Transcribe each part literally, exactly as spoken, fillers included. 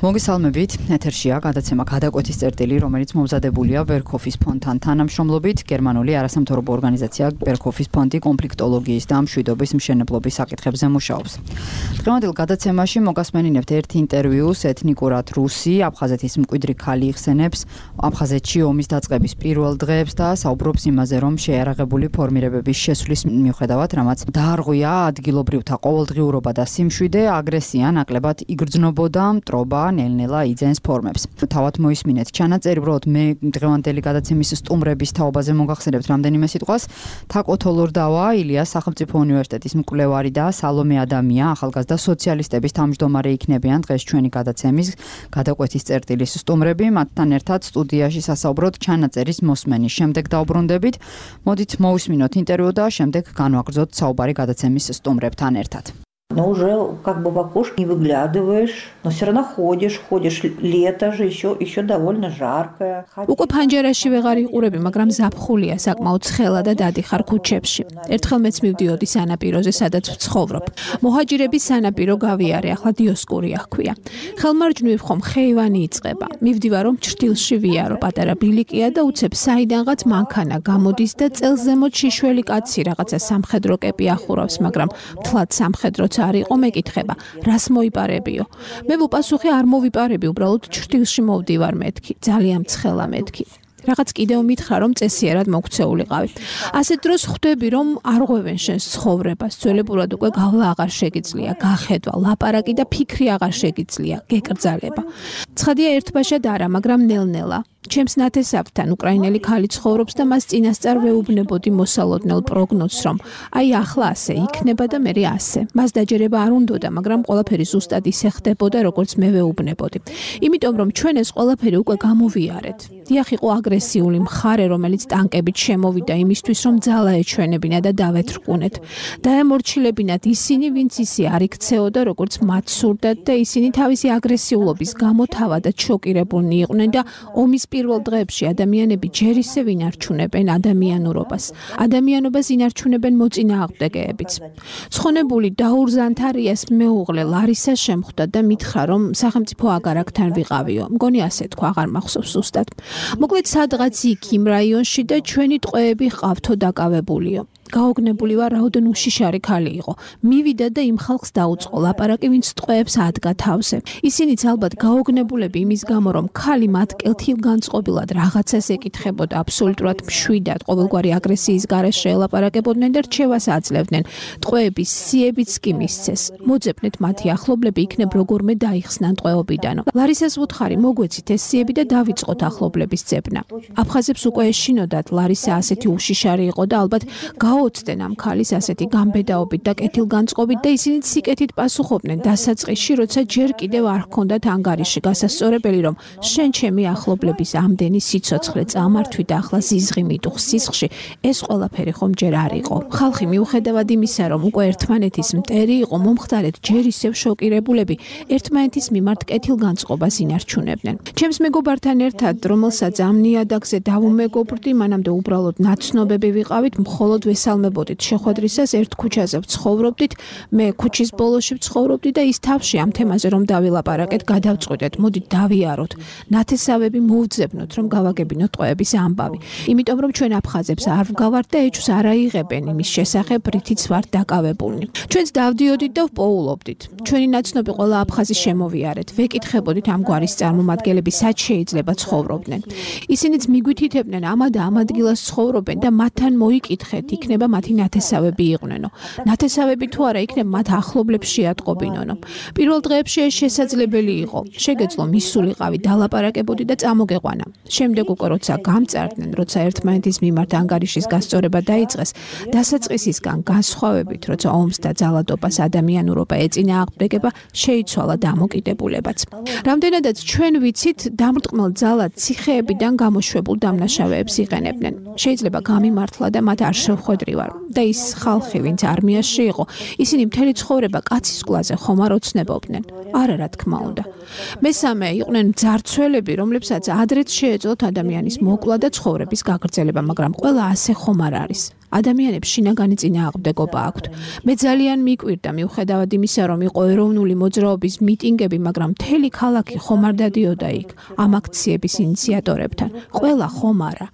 მოგესალმებით, ეთერშია გადაცემა გადაკვეთის წერტილი, რომელიც მომზადებულია ბერქოფის ფონდთან თანამშრომლობით. გერმანული არასამთავრობო ორგანიზაცია ბერქოფის ფონდი კონფლიქტოლოგიის და მშვიდობის მშენებლობის საკითხებზე მუშაობს. დღევანდელ გადაცემაში მოგასმენინებთ ერთ ინტერვიუს ეთნიკურად რუსი, აფხაზეთის მკვიდრი ქალი იხსენებს აფხაზეთში ომის დაწყების პირველ დღეებს და საუბრობს იმაზე, რომ შეიარაღებული ფორმირებების შესვლის მიუხედავად, რამაც დაარღვია ადგილობრივთა ყოველდღიურობა და სიმშვიდე, აგრესია ნაკლებად იგრძნობოდა, მტრობა ნელ-ნელა იძენს ფორმებს. თავად მოისმინეთ ჩანაწერი, უბრალოდ მე დღევანდელი გადაცემის სტუმრების თაობაზე მოგახსენებთ რამდენიმე სიტყვას. თაკო თოლორდავა, ილიას სახელმწიფო უნივერსიტეტის მკვლევარი და სალომე ადამია, ახალგაზრდა სოციალისტების თავმჯდომარე იქნებიან დღეს ჩვენი გადაცემის გადაკვეთის წერტილის სტუმრები. მათთან ერთად სტუდიაში სასაუბროთ чанаწერის მოსმენის შემდეგ დაუბრუნდებით. მოდით მოვისმინოთ ინტერვიუ და შემდეგ განვაგრძოთ საუბარი გადაცემის სტუმრებთან ერთად. Но уже как бы в окошко не выглядываешь, но все равно ходишь, ходишь, лето же еще, еще довольно жаркое. უკვე ფანჯარაში ვეღარ იყურები, მაგრამ ზაფხულია, საკმაოდ ცხელა და დადიხარ ქუჩებში. ერთხელ მეც მივდიოდი სანაპიროზე, სადაც ვცხოვრობ. მოჰაჯირების სანაპირო გავიარე, ახლა დიოსკურია ჰქვია. ხელმარჯვნივ ხომ ხეივანი იწყება. მივდივარ რომ ჭრtildeში ვიარო, პატარა ბილიკია და უცებ საიდანღაც მანქანა გამოდის და წელს ზემოთ შიშველი კაცი რაღაცა სამხედრო კეპი ახურავს, მაგრამ მთლად სამხედრო არ იყო მეკითხება, რას მოიპარებიო. მე ვუპასუხე არ მოვიპარები, უბრალოდ ჭრtildeში მოვდივარ მეთქი, ძალიან ცხელა მეთქი. რაღაც კიდევ მითხრა რომ წესიერად მოქცეულიყავი. ასეთ დროს ხვდები რომ არ ღვევენ შენს ცხოვრებას, ძველებურად უკვე გავლა აღარ შეგიძლია, გახედვა, ლაპარაკი და ფიქრი აღარ შეგიძლია, გეკრძალება. ცხადია ერთბაშად არა, მაგრამ ნელ-ნელა. ჩემს ნათესავთან უკრაინელი ხალი ცხოვრობს და მას წინასწარ ვეუბნებოდი მოსალოდნელ პროგნოზს, რომ აი ახლა ასე იქნება და მერე ასე. მას დაჯერება არ უნდოდა, მაგრამ ყველაფერი ზუსტად ისე ხდებოდა, როგორც მე ვეუბნებოდი. იმიტომ რომ ჩვენ ეს ყველაფერი უკვე გამოვიარეთ. დიახ, იყო აგრესიული მხარე, რომელიც ტანკებით შემოვიდა იმისთვის, რომ ძალა ეჩვენებინა და დავეთრკუნეთ. დაემორჩილებინათ ისინი, ვინც ისე არ იქცეოდა, როგორც მათ სურდათ და ისინი თავისი აგრესიულობის გამო თავადაც შოკირებულნი იყვნენ და ომის პირველ დღეებში ადამიანები ჯერ ისე ვინარჩუნებენ ადამიანურობას. ადამიანობას ინარჩუნებენ მოწინააღმდეგეებიც. ცხონებული დაურზანთარიას მეუღლე ლარისა შემხვდა და მითხრა, რომ სახელმწიფო აგარაკთან ვიყავიო. მგონი ასე თქვა, აღარ მახსოვს ზუსტად. მოკლედ სადღაც იქ იმ რაიონში და ჩვენი ტყვეები ყავთო დაკავებულიო. გაოგნებული ვარ, რაოდენ უშიშარი ქალი იყო. მივიდა და იმ ხალხს დაუწყო ლაპარაკი, ვინც ტყვეებს ადგა თავზე. ისინიც ალბათ გაოგნებულები იმის გამო, რომ ქალი მათ კეთილგანწყობილად რაღაცას ეკითხებოდა, აბსოლუტურად მშვიდად, ყოველგვარი აგრესიის გარეშე ელაპარაკებოდნენ და რჩევას აძლევდნენ. ტყვეების სიებიც კი მისცეს. მოძებნეთ მათი ახლობლები იქნებ როგორმე დაიხსნან ტყვეობიდანო. ლარისას ვუთხარი, მოგვეცით ეს სიები და დავიწყოთ ახლობლების ძებნა. აფხაზებს უკვე ეშინოდათ, ლარისა ასეთი უშიშარი იყო და ალბათ გაოცდნენ ამ ქალის ასეთი გამბედაობით და კეთილგანწყობით და ისინიც სიკეთით პასუხობდნენ დასაწყისში, როცა ჯერ კიდევ არ ჰქონდათ ანგარიში გასასწორებელი, რომ შენ ჩემი ახლობლების ამდენი სიცოცხლე წამართვი და ახლა ზიზღი მიტუხს სისხლში, ეს ყველაფერი ხომ ჯერ არ იყო. ხალხი მიუხედავად იმისა, რომ უკვე ერთმანეთის მტერი იყო, მომხდარეთ ჯერ ისევ შოკირებულები, ერთმანეთის მიმართ კეთილგანწყობას ინარჩუნებდნენ. ჩემს მეგობართან ერთად, რომელსაც ამ ნიადაგზე დავუმეგობრდი, მანამდე უბრალოდ ნაცნობები ვიყავით, მხოლოდ ვესალმებოდით შეხვედრისას ერთ ქუჩაზე ვცხოვრობდით, მე ქუჩის ბოლოში ვცხოვრობდი და ის თავში ამ თემაზე რომ დავილაპარაკეთ, გადავწყვიტეთ, მოდით დავიაროთ. ნათესავები მოვძებნოთ, რომ გავაგებინოთ ტყვეების ამბავი. იმიტომ რომ ჩვენ აფხაზებს არ ვგავართ და ეჭვს არ აიღებენ იმის შესახებ, რითიც ვართ დაკავებულნი. ჩვენც დავდიოდით და ვპოულობდით. ჩვენი ნაცნობი ყველა აფხაზი შემოვიარეთ. ვეკითხებოდით ამგვარის წარმომადგენლები სად შეიძლება ცხოვრობდნენ. ისინიც მიგვითითებდნენ ამა და ამ ადგილას ცხოვრობენ და მათთან მოიკითხეთ, იქნება მათი ნათესავები იყვნენო. ნათესავები თუ არა იქნება მათ ახლობლებს შეატყობინონო. პირველ დღეებში ეს შესაძლებელი იყო. შეგეძლო მისულიყავი, დალაპარაკებოდი და წამოგეყვანა. შემდეგ უკვე როცა გამწარდნენ, როცა ერთმანეთის მიმართ ანგარიშის გასწორება დაიწყეს, დასაწყისისგან განსხვავებით, როცა ომს და ძალადობას ადამიანურობა ეწინააღმდეგება, შეიცვალა დამოკიდებულებაც. რამდენადაც ჩვენ ვიცით, დამრტყმელ ძალად ციხეებიდან გამოშვებულ დამნაშავეებს იყენებდნენ. შეიძლება გამიმართლა და მათ არ შევხვედრივარ და ის ხალხი, ვინც არმიაში იყო, ისინი მთელი ცხოვრება კაცის კლაზე ხომ არ ოცნებობდნენ. არა, რა თქმა უნდა. მესამე იყვნენ მძარცველები, რომლებსაც ადრეც შეეძლოთ ადამიანის მოკლა და ცხოვრების გაგრძელება, მაგრამ ყველა ასე ხომ არ არის. ადამიანებს შინაგანი წინააღმდეგობა აქვთ. მე ძალიან მიკვირდა მიუხედავად იმისა, რომ იყო ეროვნული მოძრაობის მიტინგები, მაგრამ მთელი ქალაქი ხომ არ დადიოდა იქ ამ აქციების ინიციატორებთან. ყველა ხომ არა.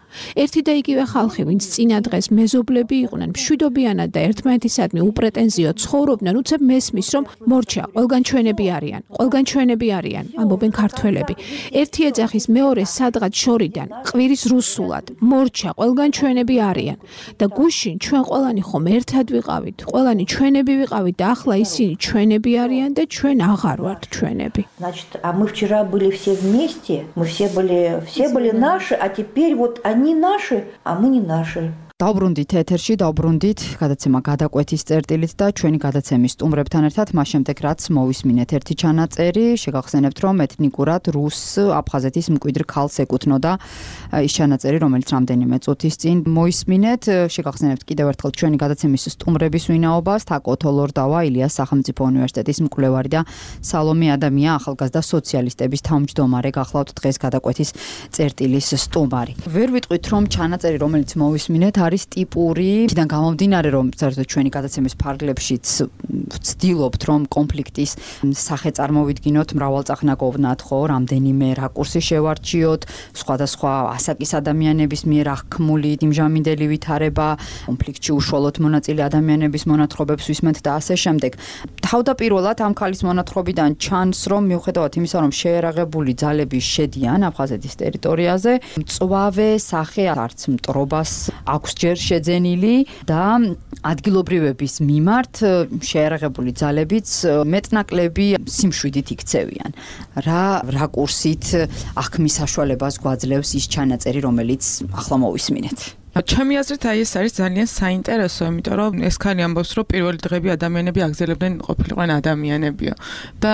ერთი და იგივე ხალხი, ვინც წინა დღეს მეზობლები იყვნენ, მშვიდობიანად და ერთმანეთისადმი უპრეტენზიოდ ცხოვრობდნენ, უცებ მესმის, რომ მორჩა, ყველგან ჩვენები არიან, ყველგან ჩვენები არიან, ამბობენ ქართველები. ერთი ეძახის მეორე სადღაც შორიდან, ყვირის რუსულად, მორჩა, ყველგან ჩვენები არიან და გუშინ ჩვენ ყველანი ხომ ერთად ვიყავით, ყველანი ჩვენები ვიყავით და ახლა ისინი ჩვენები არიან და ჩვენ აღარ ვართ ჩვენები. Значит, а мы вчера были все вместе, мы все были, все были наши, а теперь вот они наши, а мы не наши. დავბრუნდით ეთერში, დავბრუნდით გადაცემა გადაკვეთის წერტილით და ჩვენი გადაცემის სტუმრებთან ერთად მას შემდეგ რაც მოვისმინეთ ერთი ჩანაწერი, შეგახსენებთ რომ ეთნიკურად რუს აფხაზეთის მკვიდრ ქალს ეკუთვნოდა ის ჩანაწერი, რომელიც რამდენიმე წუთის წინ მოისმინეთ. შეგახსენებთ კიდევ ერთხელ ჩვენი გადაცემის სტუმრების ვინაობას, თაკო თოლორდავა, ილიას სახელმწიფო უნივერსიტეტის მკვლევარი და სალომე ადამია, ახალგაზრდა სოციალისტების თავმჯდომარე, გახლავთ დღეს გადაკვეთის წერტილის სტუმარი. ვერ ვიტყვით რომ ჩანაწერი, რომელიც მოვისმინეთ არის ტიპური, თიდან გამომდინარე რომ საერთოდ ჩვენი გადაცემის ფარგლებშიც ვცდილობთ რომ კონფლიქტის სახე წარმოვიდგინოთ, მრავალწახნაგოვნად, ხო, რამდენიმე რაკურსი შევარჩიოთ, სხვადასხვა ასაკის ადამიანების მიერ აღქმული იმჟამინდელი ვითარება, კონფლიქტში უშუალოდ მონაწილე ადამიანების მონათხრობებს ვისმენთ და ასე შემდეგ. თავდაპირველად ამ ქალის მონათხრობიდან ჩანს რომ მიუხედავად იმისა რომ შეერაღებული ძალები შედიან აფხაზეთის ტერიტორიაზე, მწვავე სახე არც მტრობას აქვს ჯერ შეძენილი და ადგილობრივების მიმართ შეერაღებული ძალებიც მეტნაკლები სიმშვიდით იქცევიან. რა რაკურსით აღქმის საშუალებას გვაძლევს ის ჩანაწერი, რომელიც ახლა მოვისმინეთ. ჩემი აზრით აი ეს არის ძალიან საინტერესო, იმიტომ რომ ეს ქალი ამბობს, რომ პირველი დღეები ადამიანები აგზელებდნენ ყოფილიყვნენ ადამიანებიო და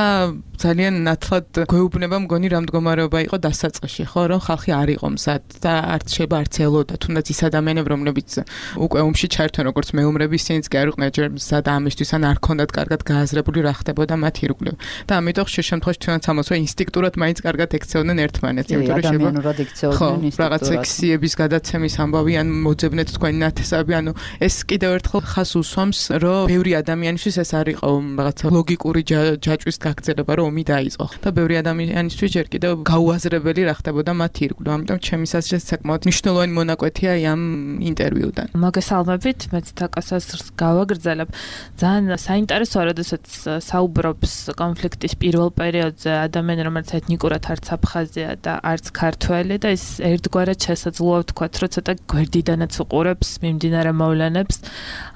ძალიან ნათლად გვეუბნება მგონი რა მდგომარეობა იყო დასაწყისში, ხო, რომ ხალხი არ იყო მზად და არც შეიძლება არც ელოდა, თუნდაც ის ადამიანები, რომლებიც უკვე ომში ჩაერთვენ როგორც მეომრები, ისინიც კი არ იყვნენ ჯერ მზად ამისთვის, ან არ ქონდათ კარგად გააზრებული რა ხდებოდა მათ ირგვლივ. და ამიტომ ხშირ შემთხვევაში ჩვენაც ამბობს, რომ ინსტინქტურად მაინც კარგად ექცეოდნენ ერთმანეთს, იმიტომ რომ ადამიანურად ექცეოდნენ ინსტინქტურად. რაღაც ექსიების გადაცემის ამბავი ან მოძებნეთ თქვენი ნათესავები, ანუ ეს კიდევ ერთხელ ხას უსვამს, რომ ბევრი ადამიანისთვის ეს არ იყო რაღაცა ლოგიკური ჯაჭვის გაგრძელება, რომ ომი დაიწყო. და ბევრი ადამიანისთვის ჯერ კიდევ გაუაზრებელი რა ხდებოდა მათ ირგვლივ. ამიტომ ჩემი აზრით საკმაოდ მნიშვნელოვანი მონაკვეთია ამ ინტერვიუდან. მოგესალმებით, მეც თაკას აზრს გავაგრძელებ. ძალიან საინტერესოა, როდესაც საუბრობს კონფლიქტის პირველ პერიოდზე ადამიანი, რომელიც ეთნიკურად არც აფხაზია და არც ქართველი და ის ერთგვარად შესაძლოა ვთქვათ, რომ ცოტა გვერდიდანაც უყურებს მიმდინარე მოვლენებს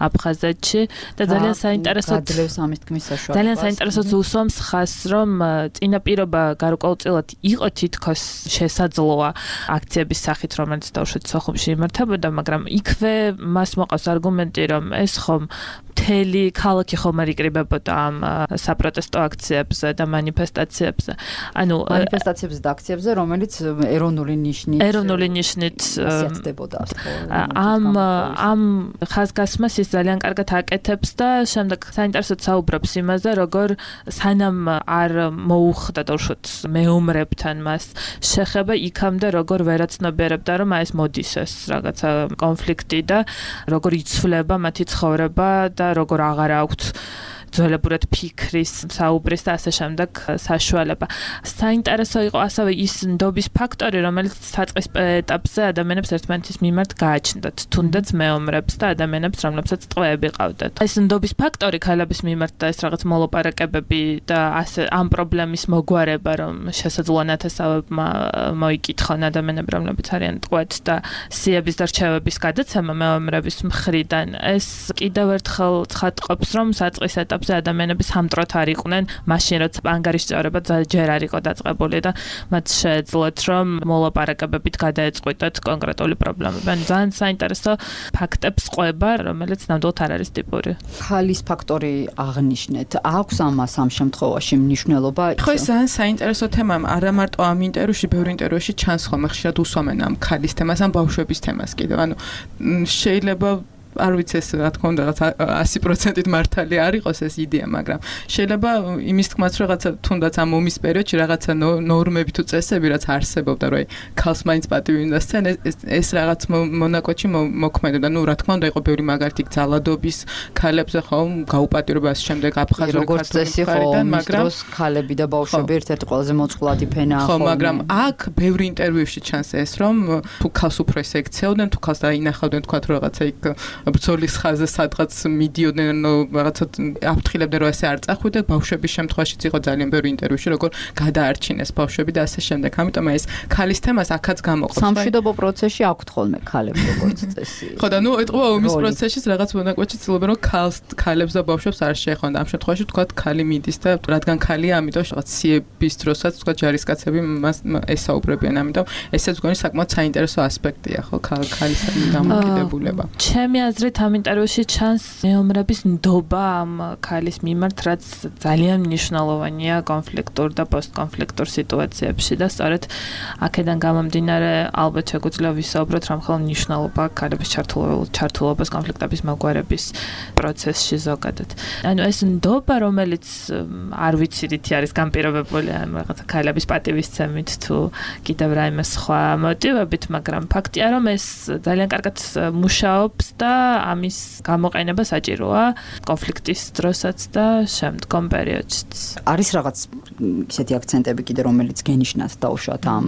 აფხაზეთში და ძალიან საინტერესო აძლევს ამის თქმის საშუალებას. ძალიან საინტერესო უსვამს ხას, რომ წინაპირობა გარკვეულწილად იყო თითქოს შესაძლოა აქციების სახით, რომელიც დავუშვით სოხუმში იმართებოდა, მაგრამ იქვე მას მოყავს არგუმენტი, რომ ეს ხომ მთელი ქალაქი ხომ არ იკრიბებოდა ამ საპროტესტო აქციებზე და მანიფესტაციებზე. ანუ მანიფესტაციებზე და აქციებზე, რომელიც ეროვნული ნიშნით ეროვნული ნიშნით ხასიათდებოდა. ამ ამ ხაზგასმას ის ძალიან კარგად აკეთებს და შემდეგ საინტერესოდ საუბრობს იმაზე, როგორ სანამ არ მოუხდა დავუშვით მეომრებთან მას შეხება იქამდე როგორ ვერაცნობიერებდა, რომ აი ეს მოდის ეს რაღაცა კონფლიქტი და როგორ იცვლება მათი ცხოვრება და როგორ აღარ აქვთ ძველებურად ფიქრის, საუბრის და ასე შემდეგ საშუალება. საინტერესო იყო ასევე ის ნდობის ფაქტორი, რომელიც საწყის ეტაპზე ადამიანებს ერთმანეთის მიმართ გააჩნდათ, თუნდაც მეომრებს და ადამიანებს, რომლებსაც ტყვეები ყავდათ. ეს ნდობის ფაქტორი ქალების მიმართ და ეს რაღაც მოლაპარაკებები და ასე ამ პრობლემის მოგვარება, რომ შესაძლოა ნათესავებმა მოიკითხონ ადამიანები, რომლებიც არიან ტყვეთ და სიების და რჩევების გადაცემა მეომრების მხრიდან. ეს კიდევ ერთხელ ცხადყოფს, რომ საწყის ეტაპზე ადამიანები სამტროთ არ იყვნენ, მაშინ როცა ანგარიშწორება ჯერ არ იყო დაწყებული და მათ შეეძლოთ რომ მოლაპარაკებებით გადაეწყვიტათ კონკრეტული პრობლემები. ან ძალიან საინტერესო ფაქტებს ყვება, რომელიც ნამდვილად არ არის ტიპური. ხალის ფაქტორი აღნიშნეთ. აქვს ამას ამ შემთხვევაში მნიშვნელობა? ხო, ეს ძალიან საინტერესო თემაა, არა მარტო ამ ინტერვიუში, ბევრი ინტერვიუში ჩანს ხოლმე ხშირად უსვამენ ამ ხალის თემას, ამ ბავშვების თემას კიდევ. ანუ შეიძლება არ ვიცი ეს რა თქმა უნდა რაღაც ასი პროცენტით მართალი არ იყოს ეს იდეა, მაგრამ შეიძლება იმის თქმაც რომ რაღაცა თუნდაც ამ ომის პერიოდში რაღაცა ნორმები თუ წესები რაც არსებობდა, რომ აი ქალს მაინც პატივი უნდა სცენ, ეს რაღაც მონაკვეთში მოქმედებდა. ნუ რა თქმა უნდა იყო ბევრი მაგალითი ძალადობის ქალებზე ხო გაუპატიურებას შემდეგ აფხაზური ქართული მხარიდან, მაგრამ ქალები და ბავშვები ერთ-ერთი ყველაზე მოწყვლადი ფენაა ხო, მაგრამ აქ ბევრი ინტერვიუში ჩანს ეს, რომ თუ ქალს უფრო ეს ექცეოდნენ, თუ ქალს დაინახავდნენ, თქვათ რომ რაღაცა იქ ბრძოლის ხაზზე სადღაც მიდიოდნენ, რაღაცა აფრთხილებდნენ, რომ ესე არ წახვიდეთ, ბავშვების შემთხვევაშიც იყო ძალიან ბევრი ინტერვიუში, როგორ გადაარჩინეს ბავშვები და ასე შემდეგ. ამიტომ ეს ქალის თემას აქაც გამოყოფს. სამშვიდობო პროცესში აქვთ ხოლმე ქალებს როგორც წესი. ხო და ნუ ეტყობა ომის პროცესში რაღაც მონაკვეთში ცდილობენ, რომ ქალს, ქალებს და ბავშვებს არ შეეხონ. ამ შემთხვევაში თქვათ ქალი მიდის და რადგან ქალია, ამიტომ რაღაც სიების დროსაც თქვათ ჯარისკაცები მას ესაუბრებიან, ამიტომ ესეც გონი საკმაოდ საინტერესო ასპექტია, ხო, ქალის დამოკიდებულება. ჩემი აზრით ამ ინტერვიუში ჩანს მეომრების ნდობა ამ ქალის მიმართ, რაც ძალიან მნიშვნელოვანია კონფლიქტურ და პოსტკონფლიქტურ სიტუაციებში და სწორედ აქედან გამომდინარე ალბათ შეგვიძლია ვისაუბროთ რა მხოლოდ მნიშვნელობა ქალების ჩართულობას კონფლიქტების მოგვარების პროცესში ზოგადად. ანუ ეს ნდობა, რომელიც არ ვიცი რითი არის განპირობებული ამ რაღაცა ქალების პატივისცემით თუ კიდევ რაიმე სხვა მოტივებით, მაგრამ ფაქტია რომ ეს ძალიან კარგად მუშაობს და ამის გამოყენება საჭიროა კონფლიქტის დროსაც და შემდგომ პერიოდშიც. არის რაღაც ისეთი აქცენტები კიდე რომელიც გენიშნათ დავუშვათ ამ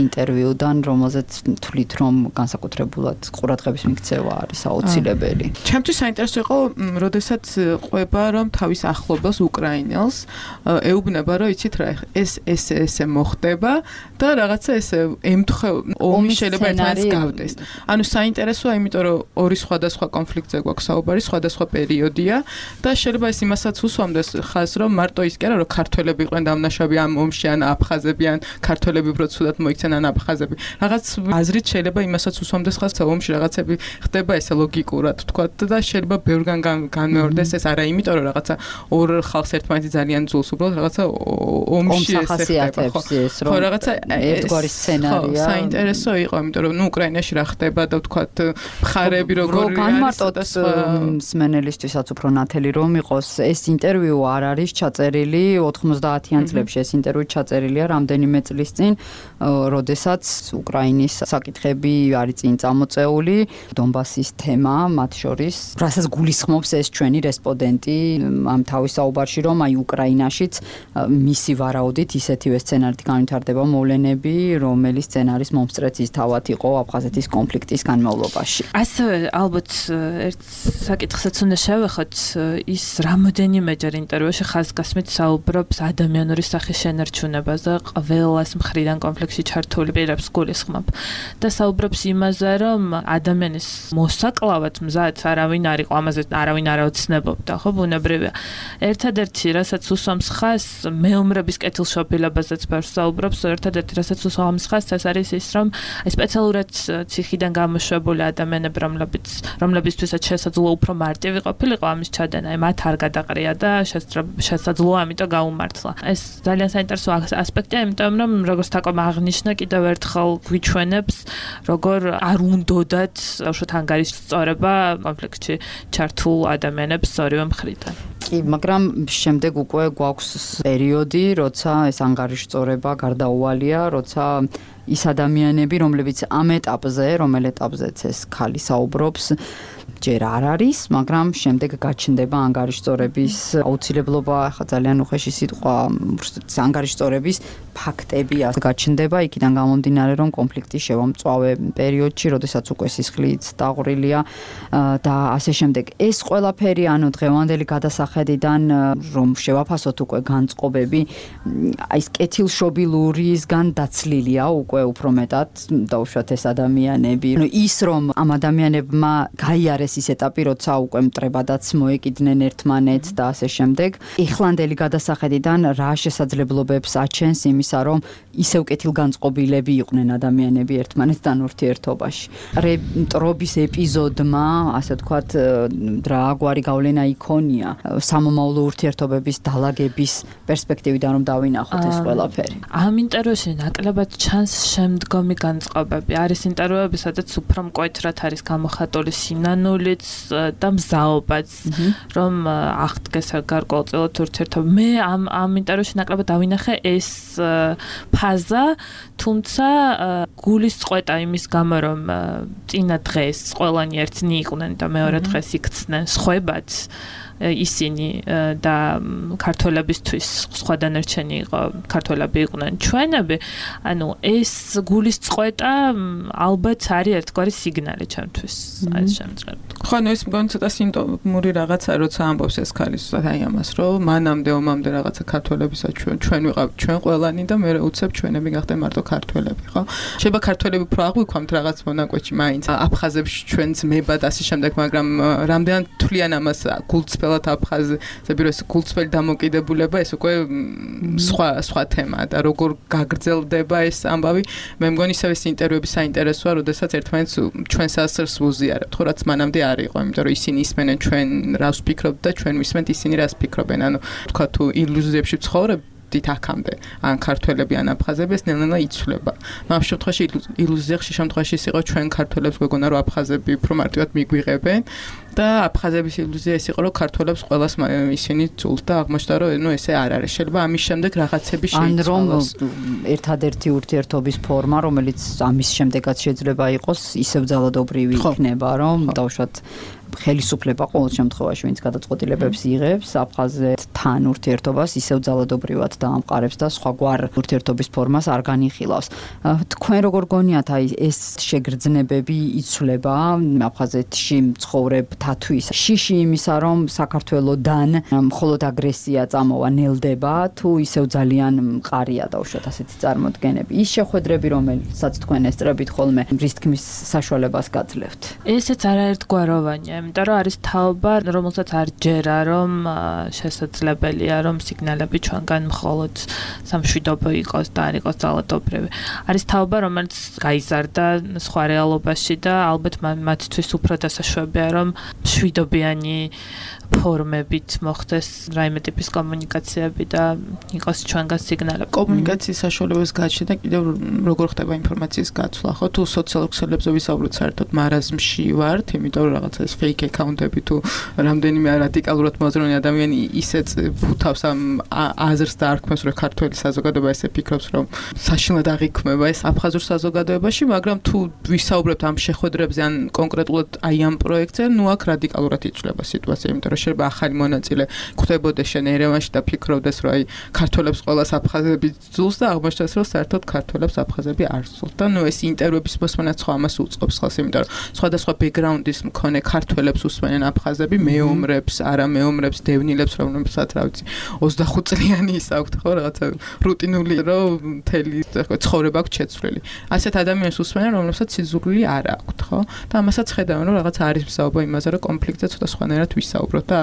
ინტერვიუდან, რომელზეც თვლით რომ განსაკუთრებულად ყურადღების მიქცევა არის აუცილებელი. ჩემთვის საინტერესო იყო, როდესაც ყვება რომ თავის ახლობელს უკრაინელს ეუბნება რომ იცით რა ეს ეს ესე მოხდება და რაღაცა ესე ემთხე ომი შეიძლება ერთმანეთს გავდეს. ანუ საინტერესოა, იმიტომ რომ ორი სხვადასხვა კონფლიქტზე გვაქვს საუბარი, სხვადასხვა პერიოდია და შეიძლება ეს იმასაც უსვამდეს ხაზს, რომ მარტო ის კი არა რომ ქართველები იყვნენ დამნაშავე ამ ომში ან აფხაზები ან ქართველები უფრო ცუდად მოიქცნენ ან აფხაზები. რაღაც აზრით შეიძლება იმასაც უსვამდეს ხაზს, რომ ომში რაღაცები ხდება ესე ლოგიკურად თქვათ და შეიძლება ბევრგან განმეორდეს ეს არა იმიტომ რომ რაღაცა ორ ხალხს ერთმანეთი ძალიან ძულს უბრალოდ რაღაცა ომში ესე ხდება. ხო, რაღაცა ერთგვარი სცენარია. საინტერესო იყო, იმიტომ რომ ნუ უკრაინაში რა ხდება და თქვათ მხარეები როგორი არის. განმარტოთ მსმენელისთვისაც უფრო ნათელი რომ იყოს, ეს ინტერვიუ არ არის ჩაწერილი ოთხმოცდაათიან წლებში, ეს ინტერვიუ ჩაწერილია რამდენიმე წლის წინ, როდესაც უკრაინის საკითხები არის წინ წამოწეული, დონბასის თემა მათ შორის, რასაც გულისხმობს ეს ჩვენი რესპონდენტი ამ თავის საუბარში, რომ აი უკრაინაშიც მისი ვარაუდით ისეთივე სცენარით განვითარდება მოვლენები, რომელიც სცენარის მომსწრეც თავად იყო აფხაზეთის კონფლიქტის განმავლობაში. ასევე ალბათ ერთ საკითხსაც უნდა შევეხოთ, ის რამოდენიმეჯერ ინტერვიუში ხაზგასმით საუბრობს ადამიანური სახის შენარჩუნებაზე, ყველას მხრიდან კონფლიქტში ჩართული პირებს გულისხმობ და საუბრობს იმაზე, რომ ადამიანის მოსაკლავად მზად არავინ არ იყო, ამაზე არავინ არ ოცნებობდა, ხო, ბუნებრივია. ერთადერთი, რასაც უსვამს ხაზს, მეომრების კეთილშობილებაზეც ბევრს საუბრობს, ერთადერთი, რასაც უსვამს ხაზს, ეს არის ის, რომ სპეციალურად ციხიდან გამოშვებული ადამიანები, რომლებიც რომლებისთვისაც შესაძლოა უფრო მარტივი ყოფილიყო ამის ჩადენა, მათ არ გადაყრია და შესაძლოა ამიტომ გაუმართლა. ეს ძალიან საინტერესო ასპექტია, იმიტომ რომ როგორც თაკომ აღნიშნა, კიდევ ერთხელ გვიჩვენებს, როგორ არ უნდოდათ უშუალოდ ანგარიშწორება კონფლიქტში ჩართულ ადამიანებს ორივე მხრიდან. კი, მაგრამ შემდეგ უკვე გვაქვს პერიოდი, როცა ეს ანგარიშწორება გარდაუვალია, როცა ის ადამიანები, რომლებიც ამ ეტაპზე, რომელ ეტაპზეც ეს ქალი საუბრობს, ჯერ არ არის, მაგრამ შემდეგ გაჩნდება ანგარიშწორების აუცილებლობა, ახლა ძალიან უხეში სიტყვა, ანგარიშწორების ფაქტები გაჩნდება, იქიდან გამომდინარე, რომ კონფლიქტი შევამწვავე პერიოდში, როდესაც უკვე სისხლიც დაყრილია და ასე შემდეგ. ეს ყველაფერი, ანუ დღევანდელი გადასახედიდან, რომ შევაფასოთ უკვე განწყობები, აი ეს კეთილშობილურისგან დაცლილია უკვე უფრო მეტად დაუშვათ ეს ადამიანები. ანუ ის რომ ამ ადამიანებმა გაიარეს ის ეტაპი, როცა უკვე მტრებადაც მოეკიდნენ ერთმანეთს და ასე შემდეგ. ეხლანდელი გადასახედიდან რა შესაძლებლობებს აჩენს იმისა, რომ ისევ კეთილგანწყობილები იყვნენ ადამიანები ერთმანეთთან ურთიერთობაში. მტრობის ეპიზოდმა, ასე ვთქვათ, რაგვარი გავლენა იქონია სამომავლო ურთიერთობების დალაგების პერსპექტივიდან რომ დავინახოთ ეს ყველაფერი. ამ ინტერვიუში ნაკლებად ჩანს შემდგომი განწყობები არის ინტერვიუები, სადაც უფრო მკვეთრად არის გამოხატული სინანულიც და მზაობაც, რომ აღდგეს გარკვეულწილად ურთიერთობა. მე ამ ამ ინტერვიუში ნაკლებად დავინახე ეს ფაზა, თუმცა გულის წყვეტა იმის გამო, რომ წინა დღეს ყველანი ერთნი იყვნენ და მეორე დღეს იქცნენ სხვებად ისინი და ქართველებისთვის სხვა დანარჩენი იყო, ქართველები იყვნენ ჩვენები, ანუ ეს გულის წყვეტა ალბათ არის ერთგვარი სიგნალი ჩემთვის այս შემთხვევაში. ხო, ნუ ეს მგონი ცოტა სიმპტომური რაღაცა, როცა ამბობს ეს ქალი აი ამას, რომ მანამდე ომამდე რაღაცა ქართველებისა ჩვენ ჩვენ ვიყავ ჩვენ ყველანი და მე უცებ ჩვენები გახდნენ მარტო ქართველები, ხო? შეიძლება ქართველები უფრო აღვიქვამთ რაღაც მონაკვეთში მაინც აფხაზებში ჩვენც მებად ასე შემდეგ, მაგრამ რამდენად თვლიან ამას გულწრფელად აფხაზები, რომ ეს გულწრფელი დამოკიდებულება ეს უკვე სხვა სხვა თემაა და როგორ გაგრძელდება ეს ამბავი. მე მგონი ისევ ეს ინტერვიუები საინტერესოა, როდესაც ერთმანეთს ჩვენ სასწრს ვუზიარებთ, ხო, რაც მანამდე არ იყო, იმიტომ რომ ისინი ისმენენ ჩვენ რას ვფიქრობთ და ჩვენ ვისმენთ ისინი რას ფიქრობენ. ანუ თქვა თუ ილუზიებში ცხოვრობ დით აქამდე ან ქართველები ან აფხაზები ეს ნელ-ნელა იცვლება. ამ შემთხვევაში ილუზია ხშირ შემთხვევაში ის იყო ჩვენ ქართველებს გვეგონა რომ აფხაზები უფრო მარტივად მიგვიღებენ და აფხაზების ილუზია ის იყო რომ ქართველებს ყველას ისინი ცულთ და აღმოჩნდა რომ ნუ ესე არ არის. შეიძლება ამის შემდეგ რაღაცები ან შეიცვალოს. რომ ერთადერთი ურთიერთობის ფორმა რომელიც ამის შემდეგაც შეიძლება იყოს ისევ ძალადობრივი იქნება რომ დავუშვათ ხელისუფლება ყოველ შემთხვევაში ვინც გადაწყვეტილებებს იღებს აფხაზეთთან ურთიერთობას ისევ ძალადობრივად დაამყარებს და სხვაგვარ ურთიერთობის ფორმას არ განიხილავს. თქვენ როგორ გონიათ აი ეს შეგრძნებები იცვლება აფხაზეთში მცხოვრებთათვის? შიში იმისა რომ საქართველოდან მხოლოდ აგრესია წამოვა ნელდება თუ ისევ ძალიან მყარია დავუშვათ ასეთი წარმოდგენები? ის შეხვედრები რომელსაც თქვენ ესწრებით ხოლმე რის თქმის საშუალებას გაძლევთ? ესეც არაერთგვაროვანია. იმიტომ რომ არის თაობა, რომელსაც არ ჯერა, რომ შესაძლებელია, რომ სიგნალები ჩვენგან მხოლოდ სამშვიდობო იყოს და არ იყოს ძალადობრივი. არის თაობა, რომელიც გაიზარდა სხვა რეალობაში და ალბათ მათთვის უფრო დასაშვებია, რომ მშვიდობიანი ფორმებით მოხდეს რაიმე ტიპის კომუნიკაციები და იყოს ჩვენგან სიგნალები. კომუნიკაციის საშუალებებს გააჩნია და კიდევ როგორ ხდება ინფორმაციის გაცვლა, ხო? თუ სოციალურ ქსელებზე ვისაუბროთ საერთოდ მარაზმში ვართ, იმიტომ რომ რაღაცა ეს fake account-ები თუ რამდენიმე რადიკალურად მოაზროვნე ადამიანი ისეც ფუთავს ამ აზრს და არქმევს, რომ ქართველი საზოგადოება ესე ფიქრობს, რომ საშინლად აღიქმება ეს აფხაზურ საზოგადოებაში, მაგრამ თუ ვისაუბრებთ ამ შეხვედრებზე ან კონკრეტულად აი ამ პროექტზე, ნუ აქ რადიკალურად იცვლება სიტუაცია, იმიტომ რომ შეიძლება ახალი მონაწილე ხვდებოდეს შენ ერევანში და ფიქრობდეს, რომ აი ქართველებს ყველას აფხაზები ძულს და აღმოჩნდეს, რომ საერთოდ ქართველებს აფხაზები არ ძულს. და ნუ ეს ინტერვიუების მოსმენაც ხო ამას უწყობს ხალხს, იმიტომ რომ სხვადასხვა ბექგრაუნდის მქონე ქართველებს უსმენენ აფხაზები, მეომრებს, არამეომრებს, დევნილებს, რომელსაც რა ვიცი, ოცდახუთ წლიანი ის აქვთ, ხო, რაღაცა რუტინული, რომ მთელი ცხოვრება აქვს შეცვლილი. ასეთ ადამიანებს უსმენენ, რომლებსაც სიზრული არ აქვთ, ხო? და ამასაც ხედავენ, რომ რაღაცა არის მსაუბრო იმაზე, რომ კონფლიქტზე ცოტა სხვანაირად ვისაუბროთ და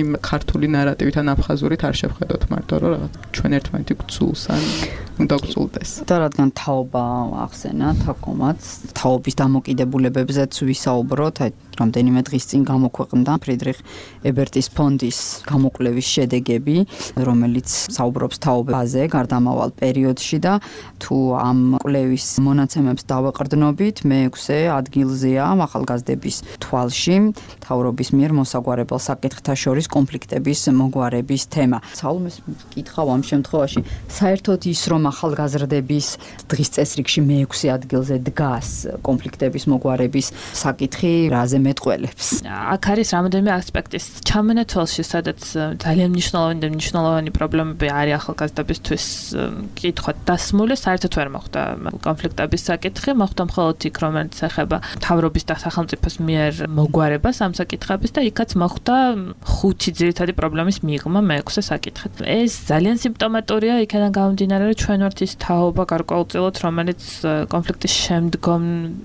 იმ ქართული ნარატივით ან აფხაზურით არ შევხედოთ მარტო, რომ რაღაც ჩვენ ერთმანეთი გვწულს ან უნდა გვწულდეს. და რადგან თაობა ახსენა თაკომაც, თაობის დამოკიდებულებებზეც ვისაუბროთ, აი რამდენიმე დღის წინ გამოქვეყნდა ფრიდრიხ ებერტის ფონდის გამოკვლევის შედეგები, რომელიც საუბრობს თაობაზე გარდამავალ პერიოდში და თუ ამ კვლევის მონაცემებს დავეყრდნობით, მეექვსე ადგილზეა ახალგაზრდების თვალში მთავრობის მიერ მოსაგვარებელ საკითხთა შორის კონფლიქტების მოგვარების თემა. საულმეს კითხავ ამ შემთხვევაში, საერთოდ ის რომ ახალგაზრდების დღის წესრიგში მეექვსე ადგილზე დგას კონფლიქტების მოგვარების საკითხი, რაზე მეტყველებს? აქ არის რამოდენიმე ასპექტის ჩამონათვალში, სადაც ძალიან მნიშვნელოვანი და მნიშვნელოვანი პრობლემები არის ახალგაზრდებისთვის კითხვა დასმული, საერთოდ ვერ მოხდა კონფლიქტების საკითხი, მოხდა მხოლოდ იქ, რომელიც ეხება მთავრობის და სახელმწიფოს მიერ მოგვარებას ამ საკითხების და იქაც მოხდა ხუთი ძირითადი პრობლემის მიღმა მეექვსე საკითხით. ეს ძალიან სიმპტომატურია, იქიდან გამომდინარე, რომ ჩვენ ვართ ის თაობა გარკვეულწილად, რომელიც კონფლიქტის შემდგომ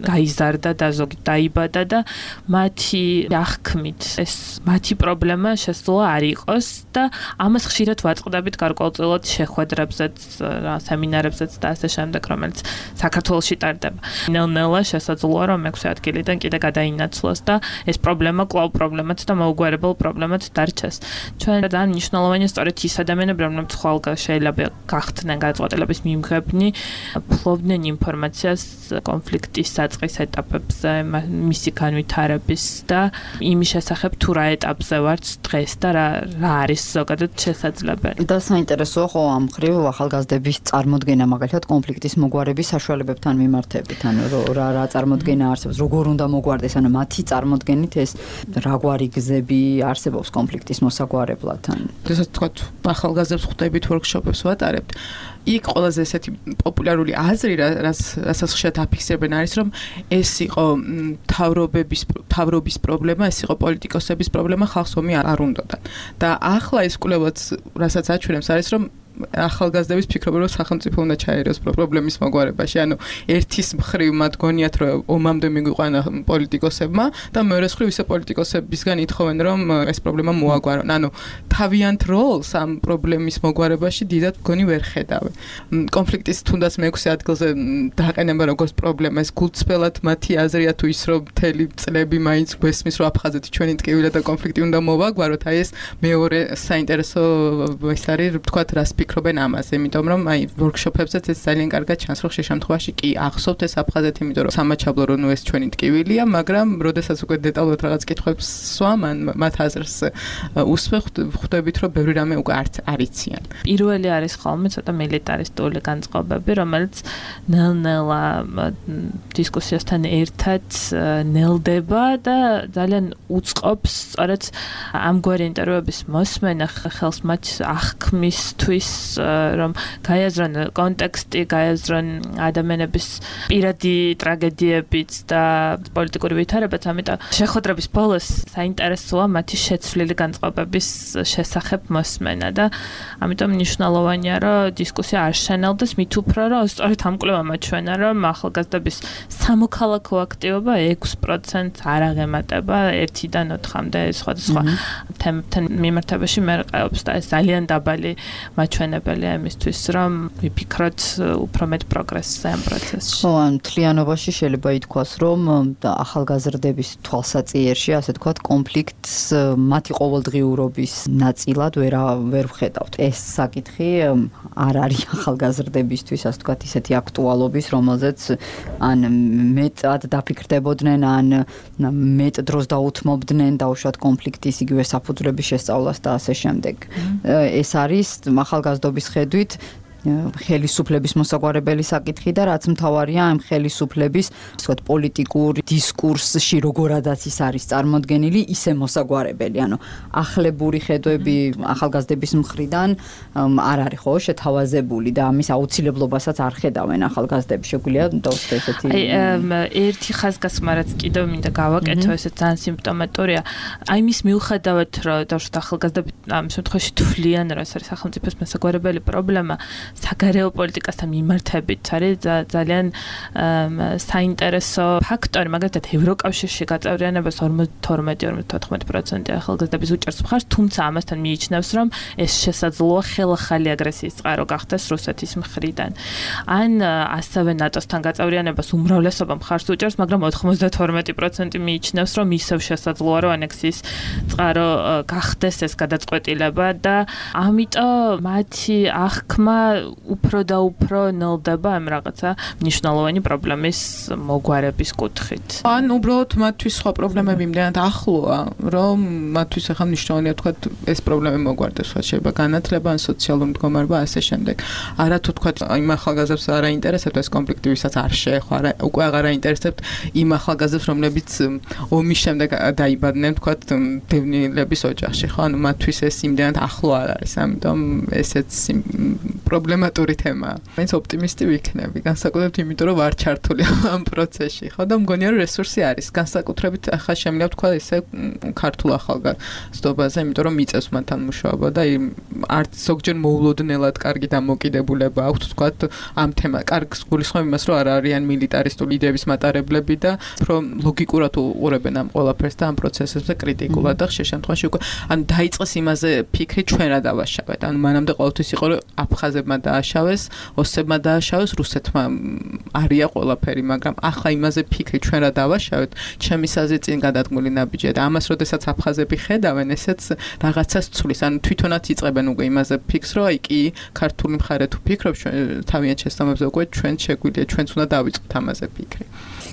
გაიზარდა და ზოგი დაიბადა და მათი აღქმით ეს მათი პრობლემა შესაძლოა არ იყოს და ამას ხშირად ვაწყდებით გარკვეულწილად შეხვედრებზეც, სემინარებზეც და ასე შემდეგ, რომელიც საქართველოში ტარდება. ნელ-ნელა შესაძლოა რომ მეექვსე ადგილიდან კიდე გადაინაცვლოს და ეს პრობლემა კვლავ პრობლემად და მოუგვარებელ პრობლემად დარჩეს. ჩვენ ძალიან მნიშვნელოვანია სწორედ ის ადამიანები, რომლებიც ხვალ შეიძლება გახდნენ გადაწყვეტილების ხელისუფლების მიმღებნი ფლობდნენ ინფორმაციას კონფლიქტის საწყის ეტაპებზე, მისი განვითარების და იმის შესახებ თუ რა ეტაპზე ვართ დღეს და რა რა არის ზოგადად შესაძლებელი. და საინტერესოა ხო ამ ხრივ ახალგაზრდების წარმოდგენა მაგალითად კონფლიქტის მოგვარების საშუალებებთან მიმართებით, ანუ რა რა წარმოდგენა არსებობს, როგორ უნდა მოგვარდეს, ანუ მათი წარმოდგენით ეს რაგვარი გზები არსებობს კონფლიქტის მოსაგვარებლად. როდესაც თქვა ახალგაზრდებს ხვდებით ვორქშოპებს ვატარებთ, იქ ყველაზე ესეთი პოპულარული აზრი, რასაც ხშირად აფიქსირებენ არის, რომ ეს იყო მთავრობების მთავრობის პრობლემა, ეს იყო პოლიტიკოსების პრობლემა, ხალხს ომი არ უნდოდა. და ახლა ეს კვლევაც, რასაც აჩვენებს, არის რომ ახალგაზრდების ფიქრობენ, რომ სახელმწიფო უნდა ჩაერევოს პრობლემის მოგვარებაში. ანუ ერთის მხრივ მათ გონიათ, რომ ომამდე მიგვიყვანა პოლიტიკოსებმა და მეორე მხრივ ისე პოლიტიკოსებისგან ითხოვენ, რომ ეს პრობლემა მოაგვარონ. ანუ თავიანთ როლს ამ პრობლემის მოგვარებაში დიდად გონი ვერ ხედავენ. კონფლიქტის თუნდაც მეექვსე ადგილზე დაყენება როგორც პრობლემა, ეს გულწრფელად მათი აზრია თუ ის რომ მთელი წლები მაინც გვესმის, რომ აფხაზეთი ჩვენი ტკივილი და კონფლიქტი უნდა მოვაგვაროთ. აი ეს მეორე საინტერესო ის არის, თქვათ რას ფიქრობენ ამაზე, იმიტომ რომ აი ვორქშოპებზეც ეს ძალიან კარგად ჩანს, რომ ხშირ შემთხვევაში კი ახსოვთ ეს აფხაზეთი, იმიტომ რომ სამაჩაბლო რომ ეს ჩვენი ტკივილია, მაგრამ როდესაც უკვე დეტალურად რაღაც კითხვებს სვამან, მათ აზრს უსვე ხვდებით, რომ ბევრი რამე უკვე არც არიციან. პირველი არის ხოლმე ცოტა მილიტარისტული განწყობები, რომელიც ნელ-ნელა დისკუსიასთან ერთად ნელდება და ძალიან უწყობს სწორედ ამგვარი ინტერვიუების მოსმენა ხელს მათ აღქმისთვის, რომ გაიაზრონ კონტექსტი, გაიაზრონ ადამიანების პირადი ტრაგედიებიც და პოლიტიკური ვითარებაც, ამიტომ შეხვედრების ბოლოს საინტერესოა მათი შეცვლილი განწყობების შესახებ მოსმენა და ამიტომ მნიშვნელოვანია, რომ დისკუსია არ შენელდეს, მით უფრო რომ სწორედ ამ კვლევამ აჩვენა, რომ ახალგაზრდების სამოქალაქო აქტივობა ექვს პროცენტს არ აღემატება ერთიდან ოთხამდე სხვადასხვა თემებთან მიმართებაში მერყეობს და ეს ძალიან დაბალი მაჩვენებელია იმისთვის, რომ ვიფიქროთ უფრო მეტ პროგრესზე ამ პროცესში. ხო, ან მთლიანობაში შეიძლება ითქვას, რომ ახალგაზრდების თვალსაჩინოში, ასე თქვათ, კონფლიქტს მათი ყოველდღიურობის ნაწილად ვერ ვერ ვხედავთ. ეს საკითხი არ არის ახალგაზრდებისთვის, ასე თქვათ, ისეთი აქტუალობის, რომელზეც ან მეტად დაფიქრდებოდნენ, ან მეტ დროს დაუთმობდნენ დაუშვათ კონფლიქტის იგივე საფუძვლების შესწავლას და ასე შემდეგ. ეს არის ახალგაზრდობის ხედვით ხელისუფლების მოსაგვარებელი საკითხი და რაც მთავარია ამ ხელისუფლების, ასე ვთქვათ, პოლიტიკურ დისკურსში როგორადაც ის არის წარმოდგენილი, ისე მოსაგვარებელი, ანუ ახლებური ხედვები ახალგაზრდების მხრიდან არ არის ხო შეთავაზებული და ამის აუცილებლობასაც არ ხედავენ ახალგაზრდები. შეგვიძლია დავუშვათ ესეთი. აი, ერთი ხაზგასმა რაც კიდევ მინდა გავაკეთო, ესე ძალიან სიმპტომატურია. აი მის მიუხედავად, რომ დავუშვათ ახალგაზრდები ამ შემთხვევაში თვლიან, რომ ეს არის სახელმწიფოს მოსაგვარებელი პრობლემა, საგარეო პოლიტიკასთან მიმართებით არის ძალიან საინტერესო ფაქტორი, მაგალითად ევროკავშირში გაწევრიანებას ორმოცდათორმეტი ორმოცდათოთხმეტი პროცენტი ახალგაზრდების უჭერს მხარს, თუმცა ამასთან მიიჩნევს, რომ ეს შესაძლოა ხელახალი აგრესიის წყარო გახდეს რუსეთის მხრიდან. ან ასევე ნატოსთან გაწევრიანებას უმრავლესობა მხარს უჭერს, მაგრამ ოთხმოცდათორმეტი პროცენტი მიიჩნევს, რომ ისევ შესაძლოა, რომ ანექსიის წყარო გახდეს ეს გადაწყვეტილება და ამიტომ მათი აღქმა უფრო და უფრო ნელდება ამ რაღაცა მნიშვნელოვანი პრობლემის მოგვარების კუთხით. ან უბრალოდ მათთვის სხვა პრობლემები იმდენად ახლოა, რომ მათთვის ახლა მნიშვნელოვანია თქვა ეს პრობლემა მოგვარდეს, სხვა შეიძლება განათლება, ან სოციალური მდგომარეობა, ასე შემდეგ. არა თუ თქვა იმ ახალგაზრდებს არ აინტერესებთ ეს კონფლიქტი, ვისაც არ შეეხო, არა უკვე აღარ აინტერესებთ იმ ახალგაზრდებს, რომლებიც ომის შემდეგ დაიბადნენ, თქვა დევნილების ოჯახში, ხო? ანუ მათთვის ეს იმდენად ახლო არ არის, ამიტომ ესეც პრობლემატური თემაა. მაინც ოპტიმისტი ვიქნები, განსაკუთრებით იმიტომ, რომ ვარ ჩართული ამ პროცესში, ხო და მგონია რომ რესურსი არის. განსაკუთრებით ახლა შემიძლია თქვა ესე ქართულ ახალგაზრდობაზე, იმიტომ რომ მიწევს მათთან მუშაობა და არც ზოგჯერ მოულოდნელად კარგი დამოკიდებულება აქვთ თქვა ამ თემა. კარგს გულისხმობ იმას, რომ არ არიან მილიტარისტული იდეების მატარებლები და უფრო ლოგიკურად უყურებენ ამ ყველაფერს და ამ პროცესებზე კრიტიკულად და ხშირ შემთხვევაში უკვე ან დაიწყეს იმაზე ფიქრი ჩვენ რა დავაშავეთ. ანუ მანამდე ყოველთვის იყო რომ აფხაზებმა დააშავეს, ოსებმა დააშავეს, რუსეთმა არია ყველაფერი, მაგრამ ახლა იმაზე ფიქრი ჩვენ რა დავაშავეთ, ჩემი საზრით წინ გადადგმული ნაბიჯია და ამას როდესაც აფხაზები ხედავენ, ესეც რაღაცას ცulis, ანუ თვითონაც იწყებენ უკვე იმაზე ფიქრს, რომ აი კი ქართული მხარე თუ ფიქრობ ჩვენ თავიანთ შესაბამებზე უკვე ჩვენ შეგვიძლია, ჩვენც უნდა დავიწყოთ ამაზე ფიქრი.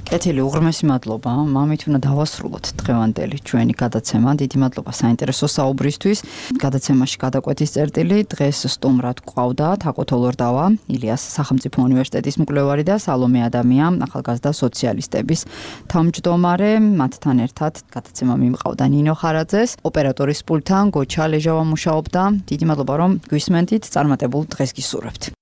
კეთილი, უღრმესი მადლობა. მამით უნდა დავასრულოთ დღევანდელი ჩვენი გადაცემა. დიდი მადლობა საინტერესო საუბრისთვის. გადაცემაში გადაკვეთის წერტილი დღეს სტუმრად გვყავდა თაკო თოლორდავა, ილიას სახელმწიფო უნივერსიტეტის მკვლევარი და სალომე ადამია, ახალგაზრდა სოციალისტების თავმჯდომარე. მათთან ერთად გადაცემა მიმყავდა ნინო ხარაძეს, ოპერატორის პულტთან გოჩა ლეჟავა მუშაობდა. დიდი მადლობა რომ გვისმენთ, წარმატებულ დღეს გისურვებთ.